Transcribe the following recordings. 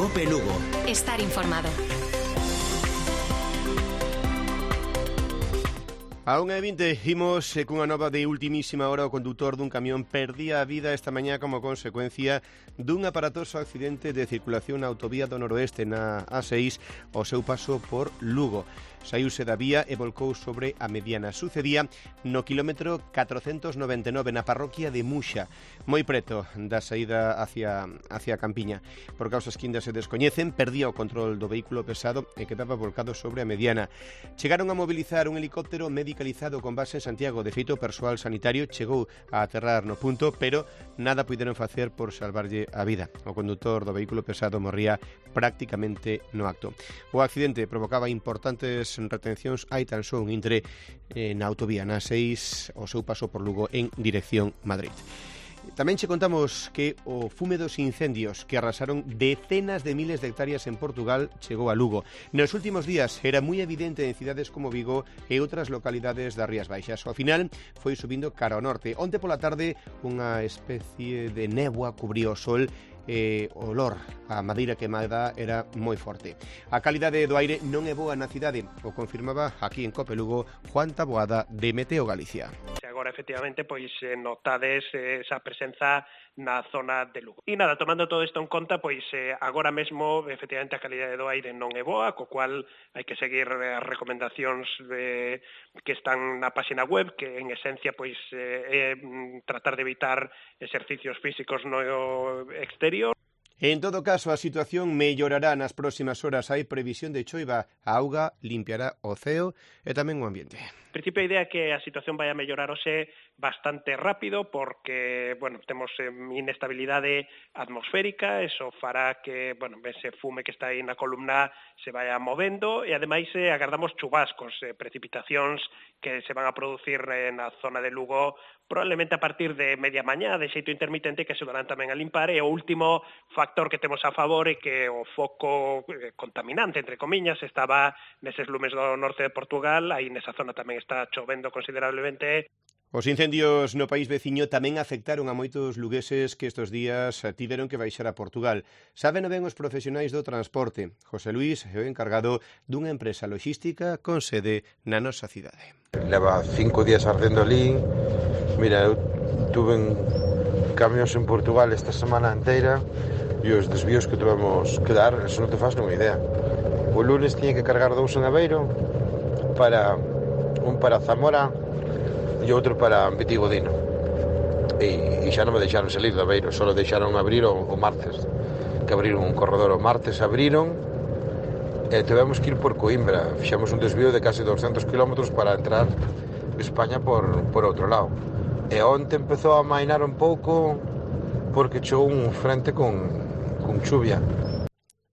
Cope Lugo. Estar informado. A 1:20 imos cunha nova de ultimísima hora. O condutor dun camión perdía a vida esta mañá como consecuencia dun aparatoso accidente de circulación na autovía do noroeste na A6 ao seu paso por Lugo. Saíuse da vía e volcou sobre a mediana. Sucedía no quilómetro 499 na parroquia de Muxa, moi preto da saída hacia a Campiña. Por causas que ainda se descoñecen, perdía o control do vehículo pesado e quedaba volcado sobre a mediana. Chegaron a mobilizar un helicóptero medicalizado con base en Santiago. De feito, o persoal sanitario chegou a aterrar no punto, pero nada puideron facer por salvarlle a vida. O condutor do vehículo pesado morría prácticamente no acto. O accidente provocaba importantes retencións hai tan só un intre na autovía na 6 o seu paso por Lugo en dirección Madrid. Tamén che contamos que o fume dos incendios que arrasaron decenas de miles de hectáreas en Portugal chegou a Lugo. Nos últimos días era moi evidente en cidades como Vigo e outras localidades das Rías Baixas. Ao final foi subindo cara ao norte. Onte pola tarde unha especie de néboa cubriu o sol e o olor a madeira queimada era moi forte. A calidade do aire non é boa na cidade, o confirmaba aquí en Cope Lugo Juan Taboada de Meteo Galicia. Agora, efectivamente, pois notades esa presenza na zona de Lugo. E nada, tomando todo isto en conta, pois agora mesmo, efectivamente, a calidade do aire non é boa, co cual hai que seguir as recomendacións que están na página web, que en esencia, pois, é tratar de evitar exercicios físicos no exterior. En todo caso, a situación mellorará nas próximas horas. Hai previsión de choiva. A auga limpiará o ceo e tamén o ambiente. En principio, a idea é que a situación vai a mellorar hoxe bastante rápido porque, temos inestabilidade atmosférica, eso fará que, ese fume que está aí na columna se vaya movendo e, ademais, agardamos chubascos, precipitacións que se van a producir na zona de Lugo probablemente a partir de media mañá, de xeito intermitente, que axudarán tamén a limpar. E o último factor que temos a favor é que o foco contaminante, entre comiñas, estaba neses lumes do norte de Portugal, aí nesa zona tamén está chovendo considerablemente. Os incendios no país veciño tamén afectaron a moitos lugueses que estes días tiveron que baixar a Portugal. Saben ben os profesionais do transporte. José Luis é o encargado dunha empresa logística con sede na nosa cidade. Leva 5 días ardendo ali. Mira, eu tuve camións en Portugal esta semana inteira e os desvíos que tuvemos que dar, eso non te faz nunha idea. O lunes tiña que cargar 2 en Aveiro, un para Zamora e outro para Vitigodino. E xa non me deixaron salir de Aveiro, só deixaron abrir o martes, que abriron un corredor o martes, abriron e tivemos que ir por Coimbra. Fixemos un desvío de case 200 km para entrar España por outro lado. E onte empezou a amainar un pouco porque chegou un frente con chuvia.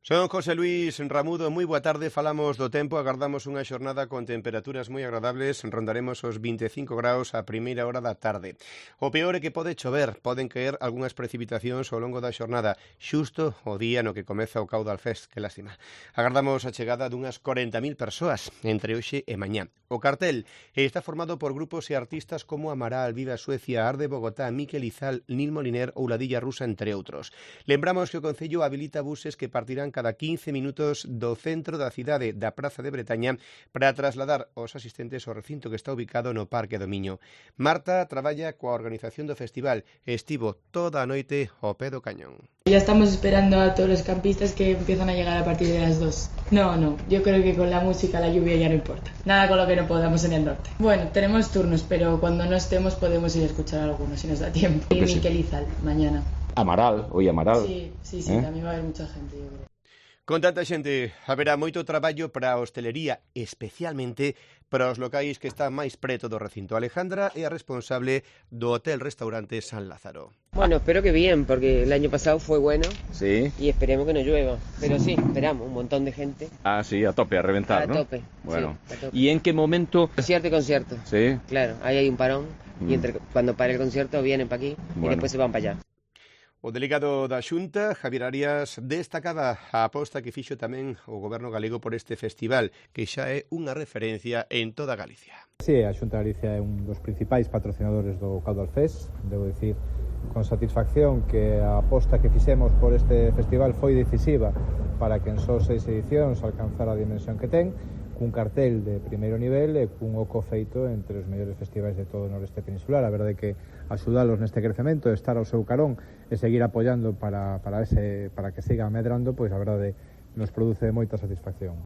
Son José Luis Ramudo, moi boa tarde. Falamos do tempo, agardamos unha xornada con temperaturas moi agradables, rondaremos os 25 graus a primeira hora da tarde. O peor é que pode chover, poden caer algunhas precipitacións ao longo da xornada, xusto o día no que comeza o Caudal Fest, que lástima. Agardamos a chegada dunhas 40.000 persoas entre hoxe e mañá. O cartel está formado por grupos e artistas como Amaral, Viva Suecia, Arde Bogotá, Miquel Izal, Nil Moliner ou Ladilla Rusa, entre outros. Lembramos que o Concello habilita buses que partirán cada 15 minutos do centro da cidade da Praza de Bretaña para trasladar os asistentes ao recinto que está ubicado no Parque do Miño. Marta traballa coa organización do festival e estivo toda a noite ao pé do cañón. Ya estamos esperando a todos los campistas que empiezan a llegar a partir de las 2. No, yo creo que con la música, la lluvia ya no importa. Nada con lo que no podamos en el norte. Bueno, tenemos turnos, pero cuando no estemos podemos ir a escuchar algunos si nos da tiempo. Y Miquel Izal, mañana. Amaral, hoy Amaral. Sí, también va a haber mucha gente, yo creo. Con tanta xente, haberá moito traballo para a hostelería, especialmente para os locais que están máis preto do recinto. Alejandra é a responsable do hotel-restaurante San Lázaro. Bueno, espero que bien, porque el año pasado fue bueno. Sí. Y esperemos que no llueva. Pero sí, esperamos, un montón de gente. Ah, sí, a tope, a reventar, ¿no? A tope. Bueno. Sí, a tope. ¿Y en qué momento? Concierto y concierto. Sí. Claro, ahí hay un parón. Y cuando pare el concierto vienen para aquí y después se van para allá. O delegado da Xunta, Javier Arias, destacaba a aposta que fixo tamén o goberno galego por este festival, que xa é unha referencia en toda Galicia. Sí, a Xunta de Galicia é un dos principais patrocinadores do Caudal Fest, debo dicir con satisfacción que a aposta que fixemos por este festival foi decisiva para que en só 6 edicións alcanzara a dimensión que ten, cun cartel de primeiro nivel e cun oco feito entre os mellores festivais de todo o noreste peninsular. A verdade é que axudalos neste crecemento, estar ao seu carón e seguir apoiando para que siga medrando, pois a verdade nos produce moita satisfacción.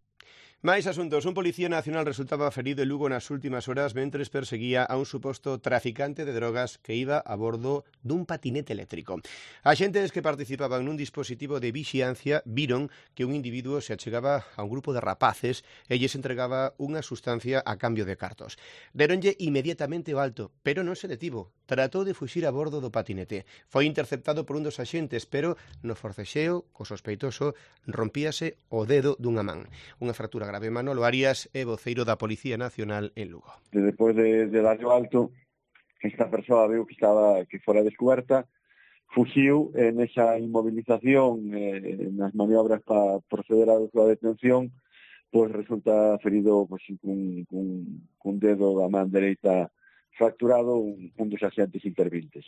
Máis asuntos. Un policía nacional resultaba ferido en Lugo nas últimas horas mentres perseguía a un suposto traficante de drogas que iba a bordo dun patinete eléctrico. Axentes que participaban nun dispositivo de vixiancia viron que un individuo se achegaba a un grupo de rapaces e lles entregaba unha sustancia a cambio de cartos. Deronlle inmediatamente o alto, pero non se detivo. Tratou de fuxir a bordo do patinete. Foi interceptado por un dos axentes, pero no forcexeo, co sospeitoso, rompíase o dedo dunha man. Unha fractura grave. Manolo Arias é voceiro da Policía Nacional en Lugo. Despois de darle o alto, esta persoa viu que fora descoberta, fuxiu nesa inmovilización, nas maniobras para proceder á súa detención, pois resulta ferido cun dedo da man dereita fracturado un dos axentes intervintes.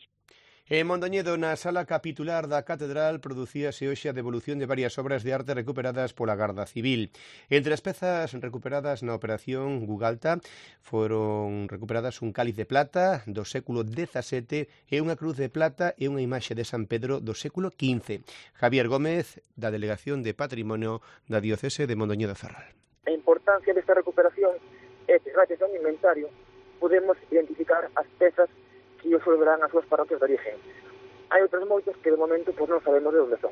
En Mondoñedo, na sala capitular da Catedral, producíase hoxe a devolución de varias obras de arte recuperadas pola Garda Civil. Entre as pezas recuperadas na operación Gugalta foron recuperadas un cáliz de plata do século XVII e unha cruz de plata e unha imaxe de San Pedro do século XV. Javier Gómez, da Delegación de Patrimonio da Diocese de Mondoñedo Ferrol. A importancia desta recuperación é que, gracias a un inventario, podemos identificar as pezas que os volverán as súas parroquias de origen. Hai outros moitos que de momento non sabemos de onde son.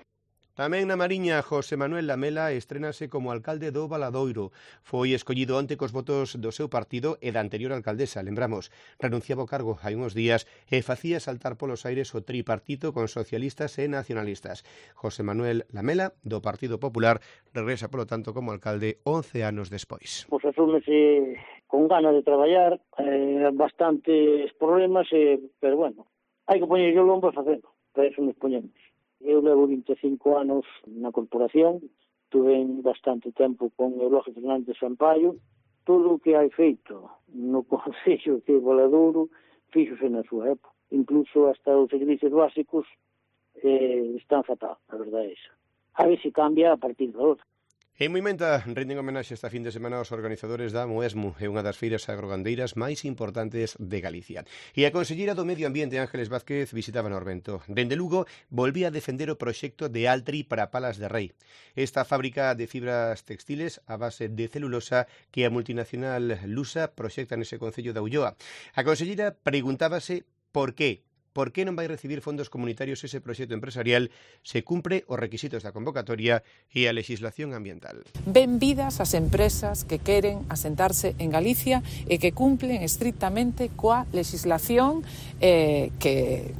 Tamén na Mariña, José Manuel Lamela estrénase como alcalde do Valadoiro. Foi escollido onte cos votos do seu partido e da anterior alcaldesa, lembramos. Renunciaba ao cargo hai uns días e facía saltar polos aires o tripartito con socialistas e nacionalistas. José Manuel Lamela, do Partido Popular, regresa, polo tanto, como alcalde 11 anos despois. Pois asúmese con ganas de traballar, bastantes problemas, pero bueno, hai que poñer o lombo e facendo, para eso nos poñemos. Eu levo 25 anos na corporación, tuve bastante tempo con Eulogio Fernández Sampaio, todo o que hai feito no Concello de Valadouro fíxose na súa época, incluso hasta os servicios básicos están fatal, a verdade é esa. A ver se cambia a partir de outra. En Moimenta rinden homenaxe esta fin de semana aos organizadores da Moesmu, é unha das feiras agrogandeiras máis importantes de Galicia. E a conselleira do Medio Ambiente, Ángeles Vázquez, visitaba Norvento. Dende Lugo, volvía a defender o proxecto de Altri para Palas de Rei. Esta fábrica de fibras textiles a base de celulosa que a multinacional lusa proxecta nese concello da Ulloa. A conselleira preguntábase por qué. Por que non vai recibir fondos comunitarios ese proxecto empresarial se cumpre os requisitos da convocatoria e a legislación ambiental. Benvidas as empresas que queren asentarse en Galicia e que cumplen estrictamente coa legislación que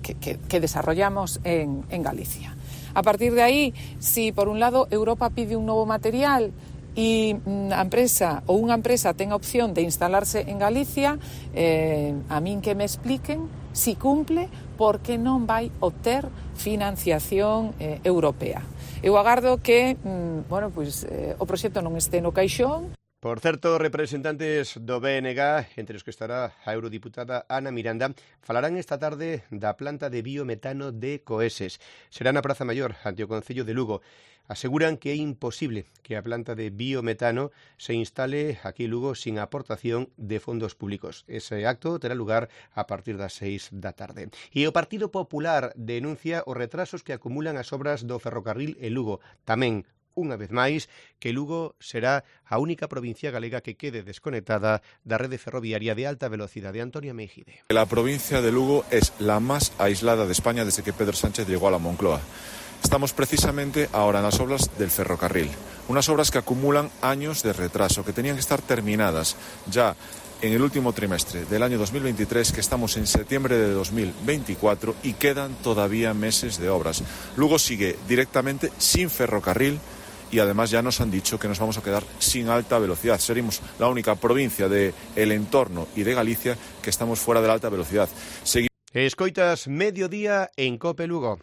desarrollamos en Galicia. A partir de aí, si por un lado Europa pide un novo material e a empresa ou unha empresa ten a opción de instalarse en Galicia, a min que me expliquen si cumple, porque non vai obter financiación europea. Eu agardo que o proxecto non este no caixón. Por certo, representantes do BNG, entre os que estará a eurodiputada Ana Miranda, falarán esta tarde da planta de biometano de Coeses. Será na Praza Maior, ante o Concello de Lugo. Aseguran que é imposible que a planta de biometano se instale aquí en Lugo sin aportación de fondos públicos. Ese acto terá lugar a partir das 6 da tarde. E o Partido Popular denuncia os retrasos que acumulan as obras do ferrocarril en Lugo. Tamén, unha vez máis, que Lugo será a única provincia galega que quede desconectada da rede ferroviaria de alta velocidade. Antonio Meijide. La provincia de Lugo es la más aislada de España desde que Pedro Sánchez llegó a la Moncloa. Estamos precisamente ahora en las obras del ferrocarril, unas obras que acumulan años de retraso, que tenían que estar terminadas ya en el último trimestre del año 2023, que estamos en septiembre de 2024 y quedan todavía meses de obras. Lugo sigue directamente sin ferrocarril y además ya nos han dicho que nos vamos a quedar sin alta velocidad. Seremos la única provincia del entorno y de Galicia que estamos fuera de la alta velocidad. Escoitas Mediodía en COPE Lugo.